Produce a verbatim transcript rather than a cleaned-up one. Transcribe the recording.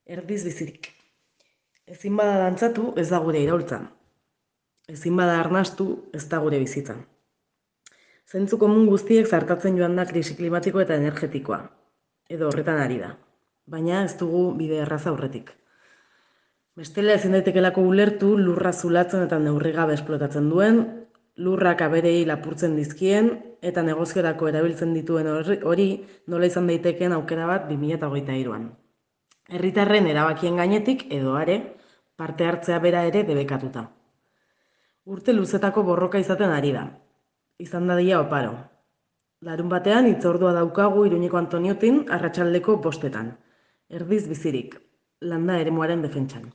Erdiz bizirik. Ezin bada dantzatu, ez da gure iraultza. Ezin bada arnastu, ez da gure bizitza. Zentzu komun guztiek zartatzen joan da krisi klimatiko eta energetikoa. Edo horretan ari da. Baina ez dugu bide erraza aurretik. Bestela ezin daitekelako ulertu lurra zulatzen eta neurri gabe esplotatzen duen, lurrak aberei lapurtzen dizkien eta negoziorako erabiltzen dituen hori nola izan daitekeen aukera bat bi mila hogeita hiruan. Herritarren erabakien gainetik edo are, parte hartzea bera ere debekatuta. Urte luzetako borroka izaten ari da. Izan dadila oparo. Larun batean hitzordua daukagu Iruñeko Antoniotin arratsaldeko bostetan. Erdiz bizirik, landa eremuaren defentsan.